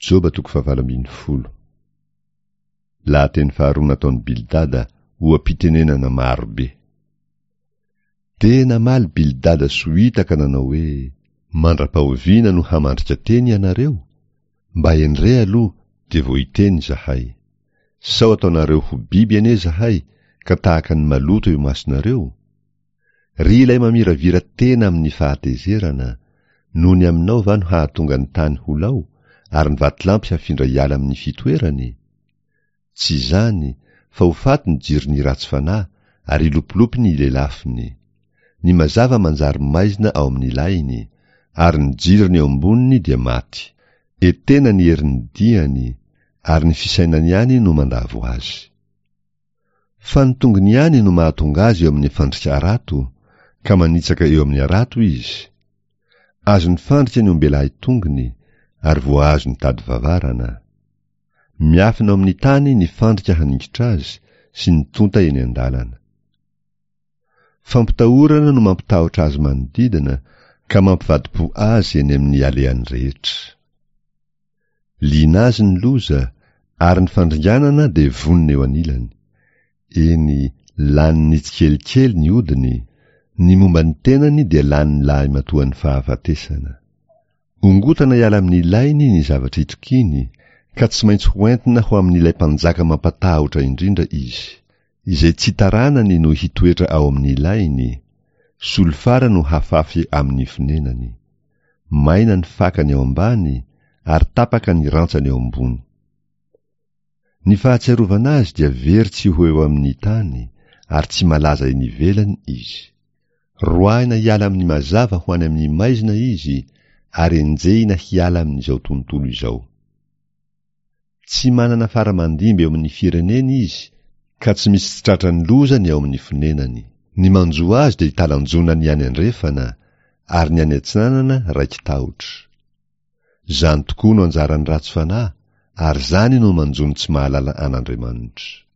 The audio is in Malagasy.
Joba toko fahavalo ambin'ny folo. Lahateny faharoa nataon'i Bildada, oha-pitenenana maro be. Dia namaly Bildada Sohita ka nanao hoe, Mandra-pahoviana no hamandrika teny ianareo? Mba hendre aloha dia vao hiteny izahay. Sao ataonareo ho biby anie izahay ka tahaka ny maloto eo imasonareo? Ry ilay mamiravira tena amin'ny fahatezerana, noho ny aminao va no hahatonga ny tany ho lao, ary ny vatolampy hafindra hiala amin'ny fitoerany? Tsy izany, fa ho faty ny jiron'ny ratsy fanahy, ary hilopilopy ny lelafiny. Ny mazava manjary maizina ao amin'ny lahiny, ary ny jirony eo amboniny dia maty. Etena ny herin'ny diany, ary ny fisainany ihany no mandavo azy. Fa ny tongony ihany no mahatonga azy eo amin'ny fandrika harato, ka manitsaka eo amin'ny harato izy. Azon'ny fandrika ny ombelahy tongony, ary voahazon'ny tady vavarana. Miafina ao amin'ny tany ny fandrika haningotra azy sy ny tonta eny an-dalana. Fampitahorana no mampitahotra azy manodidina ka mampivadi-po azy eny amin'ny alehany rehetra. Liana azy ny loza, ary ny fandringanana dia vonona eo anilany. Eny, laniny tsikelikely ny odiny, ny momba ny tenany dia lanin'ny lahimatoan'ny fahafatesana. Ongotana hiala amin'ny lainy ny zavatra itokiany, ka tsy maintsy hoentina ho amin'ilay mpanjaka mampatahotra indrindra izy. Izay tsy taranany no hitoetra ao amin'ny lainy, solifara no hafafy amin'ny fonenany. Maina ny fakany ao ambany, ary tapaka ny rantsany eo ambony. Ny fahatsiarovana azy dia very tsy ho eo amin'ny tany, ary tsy malaza eny ivelany izy. Roahina hiala amin'ny mazava ho any amin'ny maizina izy, ary enjehina hiala amin'izao tontolo izao. Tsy manana fara aman-dimby eo amin'ny fireneny izy, ka tsy misy tsy tratran'ny loza ny ao amin'ny fonenany. Ny manjo azy dia italanjona ny any andrefana, ary ny any atsinanana raiki-tahotra. Izany tokoa no anjaran'ny ratsy fanahy, ary izany no manjo ny tsy mahalala an'Andriamanitra.